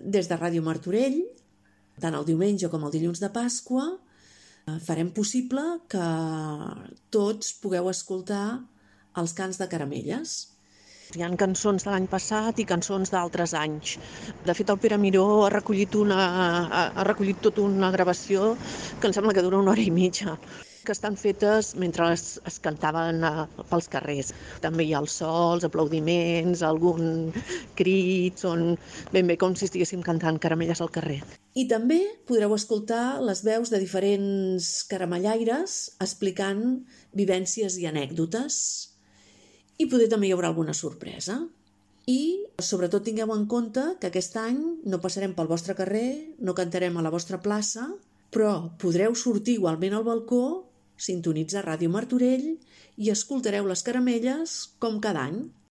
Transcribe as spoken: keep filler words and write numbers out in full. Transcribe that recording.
des de Ràdio Martorell, tant el diumenge com el dilluns de Pasqua, farem possible que tots pugueu escoltar els cants de Caramelles. Hi ha cançons de l'any passat i cançons d'altres anys. De fet, el Pere Miró ha recollit, una, ha recollit tota una gravació que em sembla que dura una hora i mitja, que estan fetes mentre es, es cantaven a, pels carrers. També hi ha els sols, aplaudiments, algun crit, són ben bé com si estiguéssim cantant Caramelles al carrer. I també podreu escoltar les veus de diferents caramellaires explicant vivències i anècdotes. I poder també hi haurà alguna sorpresa. I sobretot tingueu en compte que aquest any no passarem pel vostre carrer, no cantarem a la vostra plaça, però podreu sortir igualment al balcó, sintonitzar Ràdio Martorell i escoltareu les Caramelles com cada any.